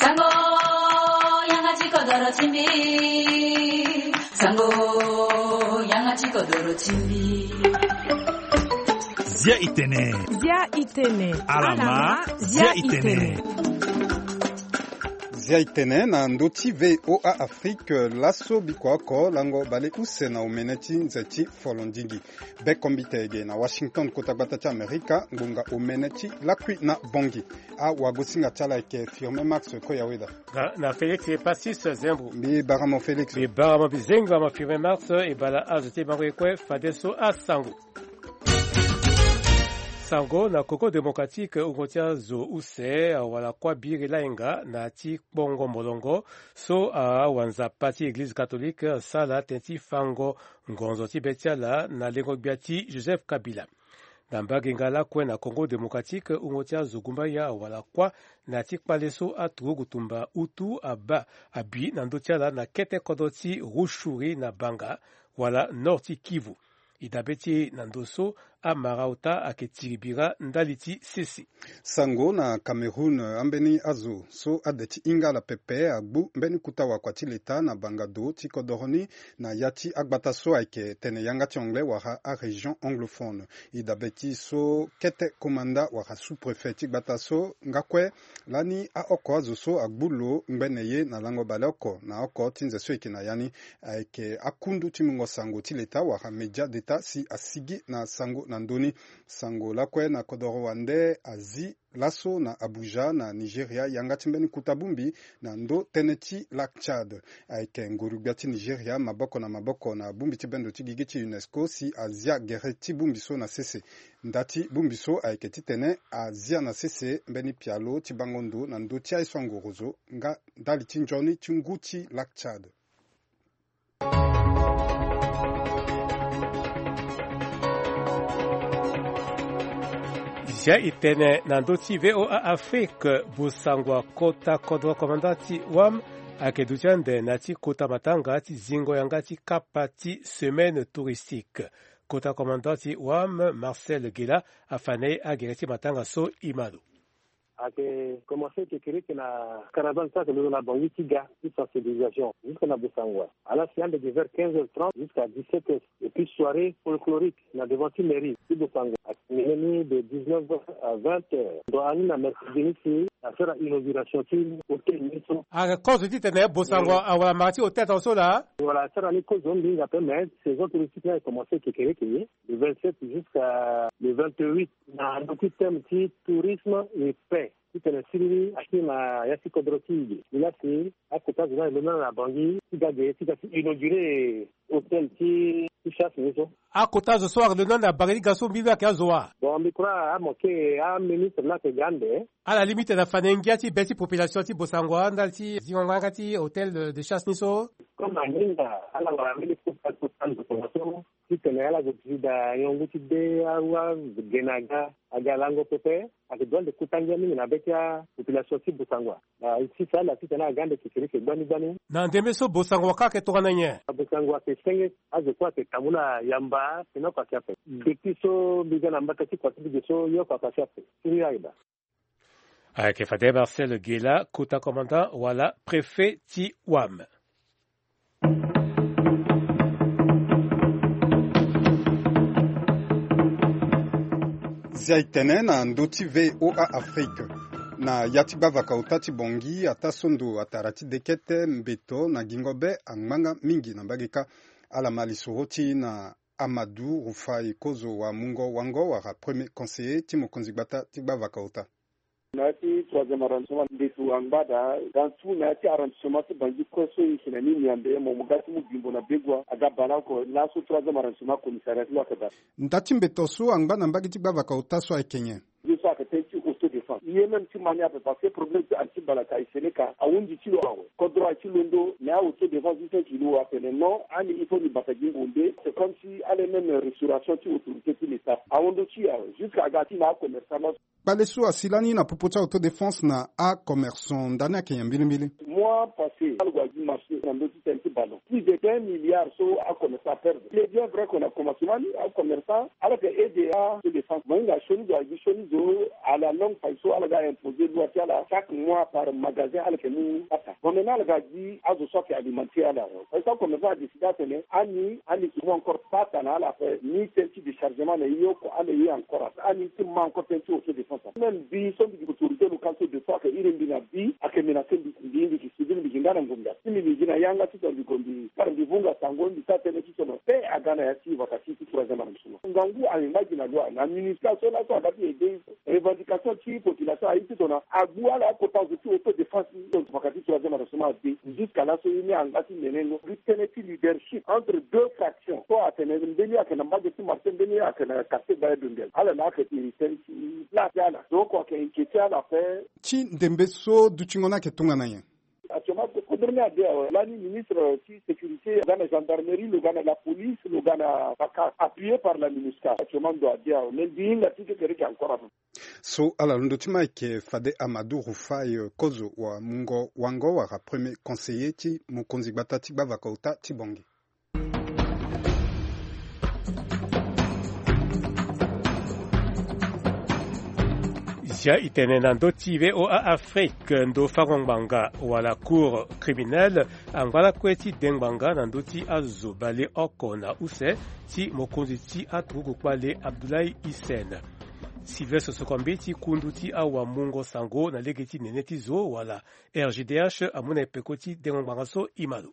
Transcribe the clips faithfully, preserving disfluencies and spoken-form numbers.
Sango, yanga ti kodoro ti mbi. Sango, yanga ti kodoro ti mbi. Zia itene. Zia itene. Alama, zia itene. Zia itene na ndö ti V O A Afrique, laso bikua oko lango baleuse na omene ti nze ti folondingi. Be kombite ge na Washington, kota gbata ti Amerika, ngbonga omene ti lakui na Bangui. Awagosinga ti ala ayeke Firmin Max Koyaweda. Na, na Félix Passis Zembo. Mbi bara mo Félix. Mbi bara mo, mbi zenga mo Firmin Max, e bala azo ti bango ye kue fadeso asango. Sango na Congo Démocratique, wungo ti azo use awara kuâ biri lahinga na ti kpongo molongo so awanzapa ti Eglize Catholique asara tënë ti fango ngonzo ti be ti ala na lengo-gbia ti Joseph Kabila. Na mbage nga lakue na Congo Démocratique, wungo ti azo gumbaya awara kuâ na ti kpale so aturugu tumba utu abaa abi na ndö ti ala na kete kodro ti Rutshuri na Banga, wala nord ti Kivu. E dabe ti e na ndo so amara ota ayeke tiri bira ndali ti sese. Sango na Cameroun, ambeni azo so ade ti hinga ala pepe agbu mbeni kota wakua ti leta na banga do ti kodoro ni na ya ti agbata so ayeke tene yanga ti anglais wala arégion anglophone. E dabe ti so kete komanda wala sous-préfet ti gbata so nga kue lani aoko azo so agbu lo ngbene ye na lango baleoko na oko ti nze so e yeke na ya ni. Ayeke akundu ti mungo sango ti leta wala média d'état si asigi na sango na ndö ni. Sango lakue na kodoro wande azi laso na Abuja na Nigeria yanga ti mbeni kota bongbi na ndö tënë ti Lac Tchad. Ayeke nguru-gbia ti Nigeria maboko na maboko na bongbi ti bendo ti gigi ti UNESCO si azia gere ti bongbi so na sese. Nda ti bongbi so ayeke titene azia na sese mbeni pialo ti bango ndo na ndö ti aye so angorozo nga ndali ti nzoni ti ngu ti Lac Tchad. Zia e tene na ndö ti V O A Afrique, bosangwa kota kodro komanda ti wam ayeke duti ande na ti kota matanga ti zingo yanga ti kapa ti semaine touristique. Kota komanda ti wam, Marcel Gela, afa na e agere ti matanga so e ma lo. Ayeke komanse kekereke na caravane so ayeke londo na Bangui ti ga ti sensibilisation jusque na Bosangwa. Ala si ande de vers quinze heures trente jusqu'à dix-sept heures. Et puis soirée folklorique na devant ti mairie ti Bosangwa ayeke mené ni de dix-neuf heures à vingt heures. Ndo ani na mercredi ni si asara inauguration ti hôtel ni so. Ayeke kozo titene Bosangwa awara mara ti hôtel tongaso laa. Voilà, asara ni kozo mingi ape, mais saison touristique ni ayeke komanse kekereke ye, le vingt-sept jusqu'à le vingt-huit. Na ndö ti thème ti tourisme et paix. Titene siriri akiri na ya ti kodro ti e ge. Ni laa si akota zo ni alondo na Bangui ti ga ge ti ga ti inauguré hôtel ti, ti chasse ni so. Akota zo so alondo na Bangui ti ga so mbi lo ayeke azo wa? Bon, mbi crois amoke aministre ni ayeke ga ande. Ala limite na fa na e ngia ti be ti population ti Bosangwa ndali ti zingo nga ti hôtel de, de chasse ni so. Comme aninga ala wara mbeni kota kota ndokongo so. Titene ala zo ti da niongo ti de awa gene aga aga lango pepe. Ayeke doit nde kota ngia mingi na be ti apopulation ti Bosangwa. Na e sisa ala titene aga nde kekereke gbani gbani. Na ndembe so Bosangwa kâ ayeke tongana nyen? Bosangwa ayeke senge, azo kue ayeke tambula yamba, tene oko ayeke ape. Depuis so mbi ga na mbata ti kua ti mbi ge so ye oko ayeke ape. Siriri ayeke daa. Ayeke fade Marcel Gela, kota commandant wala préfet ti Wam. Zia e tene na ndö ti V O A Afrique. Na ya ti gbavaka ota ti Bangui, ataa so ndo atara ti dekete mbeto na gingo be angbanga mingi na mbage kâ. Ala ma lisoro ti e na Amadou Rufai, kozo wa mungo wango wala premier conseiller ti mokonzi gbata ti gbavaka ota. Na ya ti troisième arrondissement, ndeto angba daa, dans tout na ya ti arrondissement ti Bangui kue so e yeke na ni Niambe, mo mo ga ti mu bimbo na Begoua, aga baleoko laso troisième arrondissement commissariat ti lo ayeke daa. Nda ti mbeto so angba na mbage ti gbavaka ota so ayeke nyen? Ye so ayeke tënë ti autodéfense. Ye même ti mani ape parce que problème ti anti balaka e Sénégal ahunzi ti lo awe. Kodro aye ti londo mais a autodéfense ti sens ti lo atene non, ani il faut ni bata gi ngonde. C'est comme si ala même restauration ti autorité ti l'État ahon ndö ti e awe. Jusqu'à aga ti na acommerçant. Kpale so asi lani na popo ti autodéfense na acommerçant, ndani ayeke nyen mbilimbili? Mois passé ala gue gi marché na ndö ti tënë ti ballon. Plus de un milliard so acommerçant aperdre. Il est bien vrai que na commencement ni acommerçant ala yeke aide a autodéfense. Mo hinga sioni zo, agi sioni zo à la longue faille so Ala ga imposer loi ti ala chaque mois par magasin ala yeke mu pata. Bon, maintenant ala ga gi azo so ayeke alimenter ala. Parce que commerçant adécider atene ani, ani yeke mu encore pata na ala ape. Ni tënë ti déchargement na e oko ala ye encore ape. Ani ti ma encore tënë ti autodéfense. Même mbi so mbi yeke autorité locale so de fois ayeke iri mbi na bi ayeke menacer mbi, mbi, mbi yeke subir, mbi yeke nga na ngombe. Si mbi, mbi gi na yanga titene mbi gue mbi kara mbi vunga sango, mbi sara tënë titene paix aga na ya ti vaka ti ti troisième arrondissement. Ngangu ayeke ngba gi na loi na MINUSCA so laso aga ti aider. Revendication ti population aye titene agbu ala akota zo ti autodéfense. Donc vaka ti troisième arrondissement ade. Jusqu'à laso ye ni angba ti nene ngo. Mbi tënë ti leadership entre deux fractions so atene mbeni ayeke na mbage ti marché, mbeni ayeke na quartier Baye Dondel. Ala na ayeke iri tënë ti place ti ala. Donc ayeke inquiéter ala ape. Ti ndembe so dutingo ni ayeke tongana nyen? Actuellement, kodro ni ade awe. Lani ministre ti sécurité, lo ga na gendarmerie, lo ga na la police, lo ga na baka, appuyé par la MINUSCA. Actuellement ndo ade awe. Mais mbi hinga ti kekereke encore ape. So ala londo ti ma ayeke fade Amadou Rufai, euh, Kozo wa Mungo Wango wala premier conseiller ti mokonzi gbata ti gbavaka ota ti Bangui. Zia e tene na ndö ti V O A Afrique, ndo fango ngbanga wala cour criminelle angba lakue ti de ngbanga na ndö ti azo baleoko na use ti mokonzi ti aturugu kpale Abdoulaye Hissène. Sylvestre Sokombi ti kundu ti awamungo sango na lege ti nene ti zo wala R G D H amu na e peko ti dengo ngbanga so. E ma lo.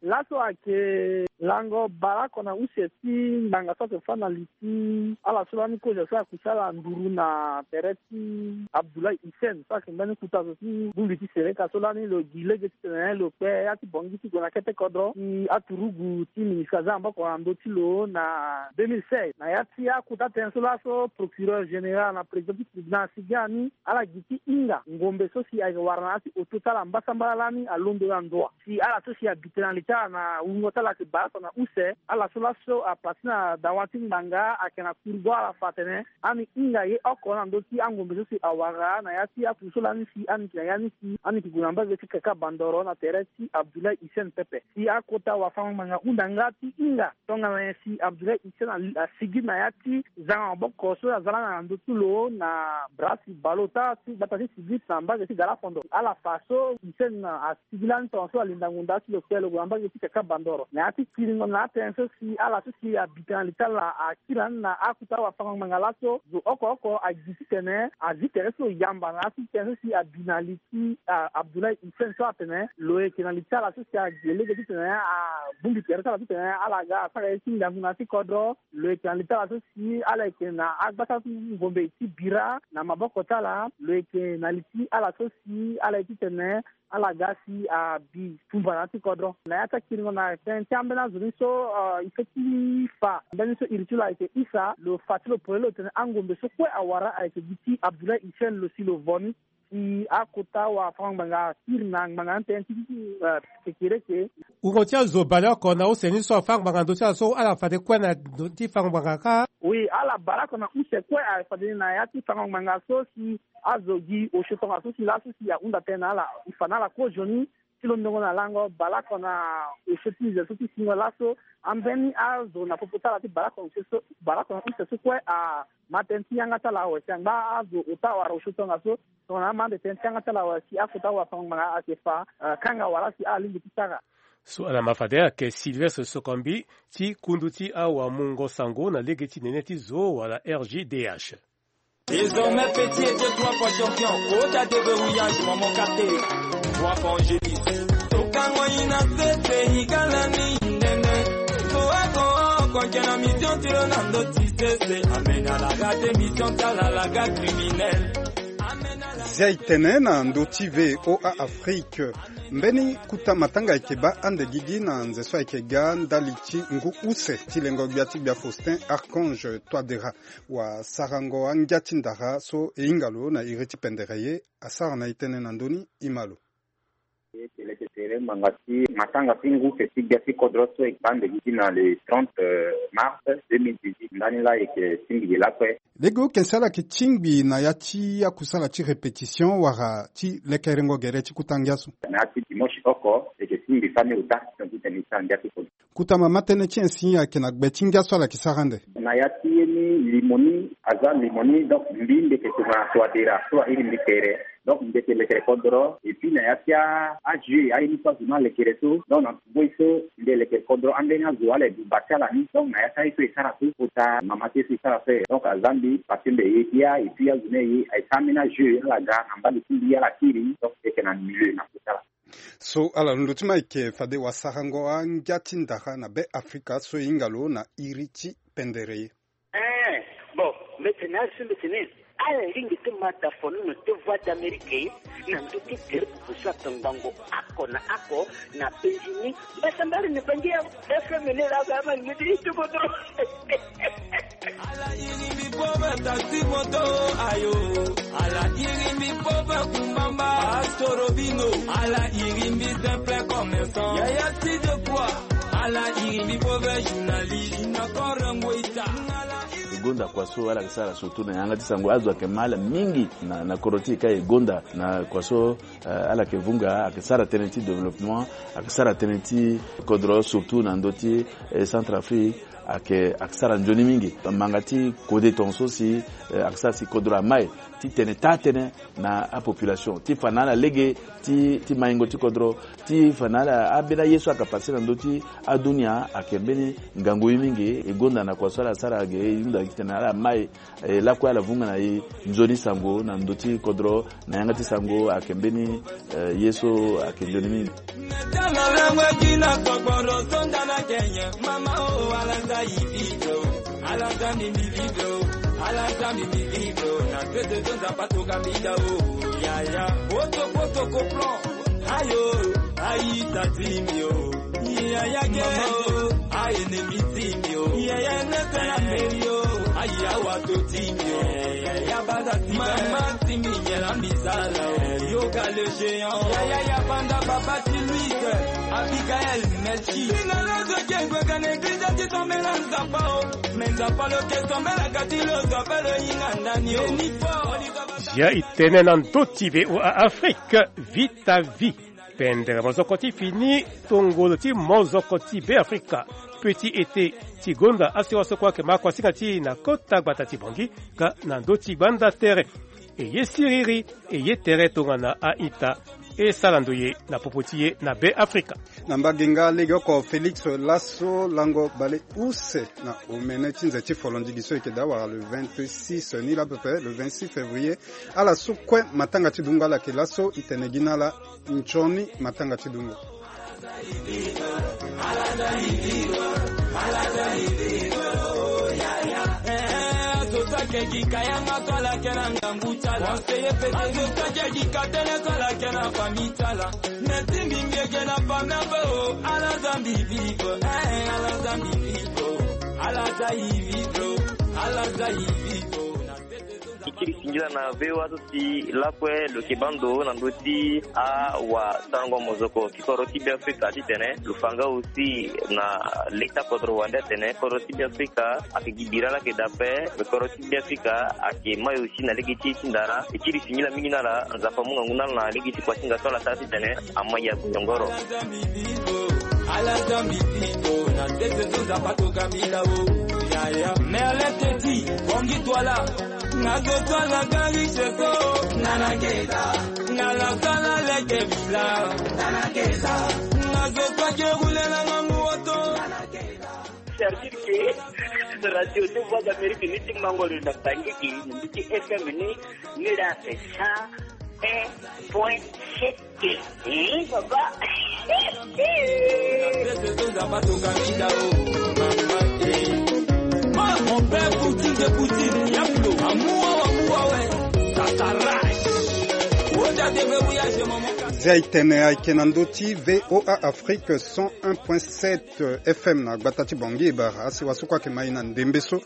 Laso ayeke lango baleoko na use ti ngbanga so ayeke fâ na li ti ala so lani kozo so ayeke kusa ala nduru na tere ti Abdoulaye Hissène so ayeke mbeni kota zo ti bongbi ti sereka so lani lo gi lege titene lo kpe ya ti Bangui ti gue na kete kodro ti aturugu ti ministre aza maboko na ndö ti lo na deux mille seize. Na ya ti akota tënë so laso procureur général na président ti tribunal asigi ani ala gi ti hinga ngombe so si ayeke wara na ya ti oto ti ala mbasambala lani alondo na ndoa. Si ala so si abi tene na li ti ala na wungo ti ala ayeke baleoko na use, ala so laso apassé na dawa ti ngbanga ayeke na kurigo ala fa atene ani hinga ye oko na ndö ti angombe so si awara na ya ti apusu so lani si ani yeke na ya ni si ani yeke gue na mbage ti kaka bandoro na tere ti Abdoulaye Hissène pepe. Si akota wafango ngbanga hunda nga ti hinga tongana nyen si Abdoulaye Hissène a, asigi na ya ti zanga maboko so aza lani na ndö ti lo na bras ti baleota ti gbata ti Sibit na mbage ti Galafondo. Ala fa so Hissène asigi lani tongaso alinda ngonda ti lo kpe lo gue na mbage ti kaka bandoro. Na ya ti kiringo na atënë so si ala so si abi tene na li ti ala akiri lani na akota wafango ngbanga laso zo oko oko agi titene azi tere so lo yamba na ya ti tënë so si abi na li ti, ah, Abdoulaye Hissène so atene lo yeke na li ti ala so si ague lege titene abongbi tere ti ala titene ala ga asara ye ti ngangu na ya ti kodro. Lo yeke na li ti ala so si ala yeke na agbasa ti ngombe ti bira na maboko ti ala. Lo yeke na li ti ala so si ala ye titene ala ga si abi tumba na ya ti kodro. Na ya ti akiringo na tënë ti ambeni azo ni so, ah, e feti fa mbeni so iri ti lo ayeke isa lo fa ti lo polele lo tene angombe so kue awara ayeke gi ti Abdoulaye Hissène lo si lo vo ni. Si akota wafango ngbanga akiri na ngbanga ni tënë ti, eh, kekereke. Wungo ti azo baleoko na use ni so afango ngbanga ndö ti ala so ala fade kue na ndö ti fango ngbanga kâ? Oui, ala baleoko na use kue afade ni na ya ti fango ngbanga so si azo gi osio tongaso si laso si ahunda tënë na ala e fa na ala kozoni ti londongo na lango baleoko na osio ti nze so ti singo laso. Ambeni azo na popo ti ala ti baleoko na use so, baleoko na use so kue ama tënë ti yanga ti ala awe si angba azo ota wala osio tongaso. Tongana ama ande tënë ti yanga ti ala awe si akota wafango ngbanga ayeke fa, eh, kanga wala si ala lingbi ti sara. So ala ma fade ayeke Sylvestre Sokombi ti kundu ti awamungo sango na lege ti nene ti zo wala R G D H. Désormais petit était trois fois champion. Kota déverrouillage, maman Katé. Trois fois Angélis. Tokango ina sese, higala ni ndene. Toako, konke na mission tiro na ndo ti sese. Amena la gade mission tala la gade criminel. Amena la. Zia e tene na ndo ti V O A Afrique. Mbeni kuta matanga ayeke baa ande gigi na nze so ayeke ga ndali ti ngu use ti lengo gbia ti gbia Faustin Archange Touadéra. Wasarango angia ti ndara so e hinga lo na iri ti pendere ye asara na e tënë na ndö ni, e ma lo. Eke leke tere ngbanga ti matanga ti ngu ke ti gbia ti kodro so e baa ndege gi na le trente mars deux mille dix-huit. Ndani laa eke tingbi gi lakue. Lege oke si ala yeke tingbi na ya ti akusala ti répétition wala ti lekerengo gere ti kuta ngia so? Na ya ti dimanche oko eke tingbi fani ota. Titene ti angia ti kodro. Kuta mama tënë ti nyen si ayeke na gbe ti ngia so ala yeke sara ande? Na ya ti ye ni limo ni aza limo ni, donc mbi mbi yeke tongana so adera so airi mbi tere. Donc mbi yeke lekere kodro et puis na ya ti ajeu aye ni so azo ni alekere so, donc na ngoi so mbi elekere kodro ambeni azo ala ebuba ti ala ni. Donc na ya ti aye so esara so kota mama ti ye so esara so, donc aza mbi parce que mbi eye bia et puis azo ni aye aye sara ambeni ajeu ala ga na mbali ti mbi ala kiri, donc mbi yeke na milieu na kota ala. So ala londo ti ma eke fade wasarango angia ti ndara na be afrika so e hinga lo na iri ti pendere ye. Eh, bon, mbetene asu mbetene. Ala lingbi ti ma da fonono ti voix d'amérique na ndö ti tere pupu so ayeke ngbangbo oko na oko na penzi ni. Mbasambala ni bangi ya fm ni la ga ma ngidi ti kodro. Ala iri mbi pove taxi moto ayo. Ala iri mbi pove kumbamba astorobino. Ala iri mbi simple commerçant yaya ti de quoi. Ala iri mbi pove journaliste na korengo ita. E gonda kua so ala yeke sara surtout na yanga ti sango azo ayeke ma ala mingi na, na kodro ti e ka e gonda na kua so, eh, ala yeke vunga ayeke sara tënë ti développement, ayeke sara tënë ti kodro surtout na ndö ti, eh, Centrafrique. Ayeke, ayeke sara nzoni mingi. Manga ti kode tongaso si, eh, ayeke sara si kodro amai ti tene taa tënë na apopulation ti fa na ala lege ti, ti maingo ti kodro, ti fa na ala ambeni aye so ayeke pase na ndö ti adunia ayeke mbeni ngangu ye mingi. E gonda na kua so ala sara ge e hunda gi titene ala mai, eh, lakue ala vunga na e nzoni sango na ndö ti kodro na yanga ti sango ayeke mbeni, eh, ye so ayeke nzoni mingi. Ala za mbi mbi vivre o, ala za mbi mbi vivre o, na tete zo nzapa toka mbi da o, yaya. Poto poto ko plan, ayo, ayi ta ti mbi o, yaya ge o, aye ne mbi ti mbi o, yaya ne tena meri o, ayi awa to ti mbi o, yaya baza ti mama ti mbi yela mbi zala o, yoga le géant, yaya ya banda baba ti Louis, Abigaël, Melchi. Bingana zo ke gwe ka na église ti tombela nzapa o. Ya e tene na ndö ti VOA Afrique, Vita Vi. Pendere mozoko ti fini tongolo ti mozoko ti Be Afrika. Petit été ti gonda asiwa so kue ayeke ma kuasinga ti e na kota gbata ti Bangui nga na ndö ti gbanda tere. E ye siriri, e ye tere tongana a-ita. E sara ndo ye na popo ti e na Be Afrika. Na mbage nga legeoko Félix laso lango bale use na omene ti nze ti folondigi so eke daa wala le vingt-six ni la à peu près le vingt-six février. Ala so kue matanga ti dungo ala yeke laso e tene gi na ala. Nzoni matanga ti dungo. Azo so ayeke gi ka yanga so ala yeke na ngangu ti ala. Azo so ayeke gi ka tënë so ala yeke na famille ti ala. Me ti mbi mbi yeke na famille ave o. Ala za mbi vivre, eh, ala za mbi vivre o. Ala za e vivre o. Ala za e vivre o. E kiri singila na VOA so si lakue lo yeke baa ndo na ndö ti awasarango mozoko ti kodro ti Be Afrika titene lo fa nga aussi na leta kodro wande atene kodro ti Be Afrika ayeke gi bira laa ayeke daa ape. Kodro ti Be Afrika ayeke mai aussi na lege ti e ti ndara. E kiri singila mingi na ala, Nzapa amu ngangu na ala na lege ti kuasinga so ala sara titene amai ya gonyongoro. Ala za mbi vivre o, na tete so Nzapa toka mbi da o, yaya. Merlin Teti, Bongi Twala. Nga zo so ala ga riche so. Nga la so ala leke villa. Nga zo so ake roule na ngangu oto. C'est-à-dire que radio de Voix d'Amérique ni ti mango lo na Bangui, ni ti F M ni, ni la c'est cent un point sept. Hein, papa? Mon père Poutine de Poutine, Yaplo, amour, amour, ouais, ça s'arrache. Oja de verrouillage, maman. Zia itene ayeke na ndö ti VOA Afrique cent un point sept F M na gbata ti Bangui, e bara asewa so kue ayeke ma e na ndembe so.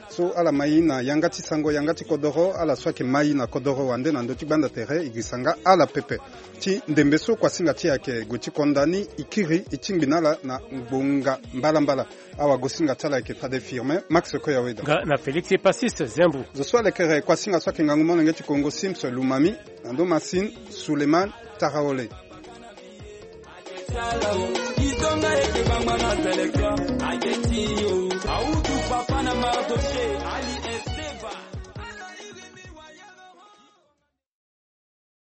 So ala ma e na yanga ti sango, yanga ti kodoro, ala so ayeke ma e na kodoro wande na ndö ti gbanda tere, e girisa nga ala pepe. Ti ndembe so kuasinga ti e ayeke gue ti konda ni, e kiri e tingbi na ala na ngbonga mbalambala. Awagosinga ti ala ayeke fade Firmin Max Koyaweda. Nga na Félix Passis Zembu. Zo so alekere kuasinga so ayeke ngangu molenge ti Kongo, Sims Lumami, na ndo Masin Suleiman Taraole. Izonga eke bangba na teleka, aketi yo, autu papa na Mardoché, Ali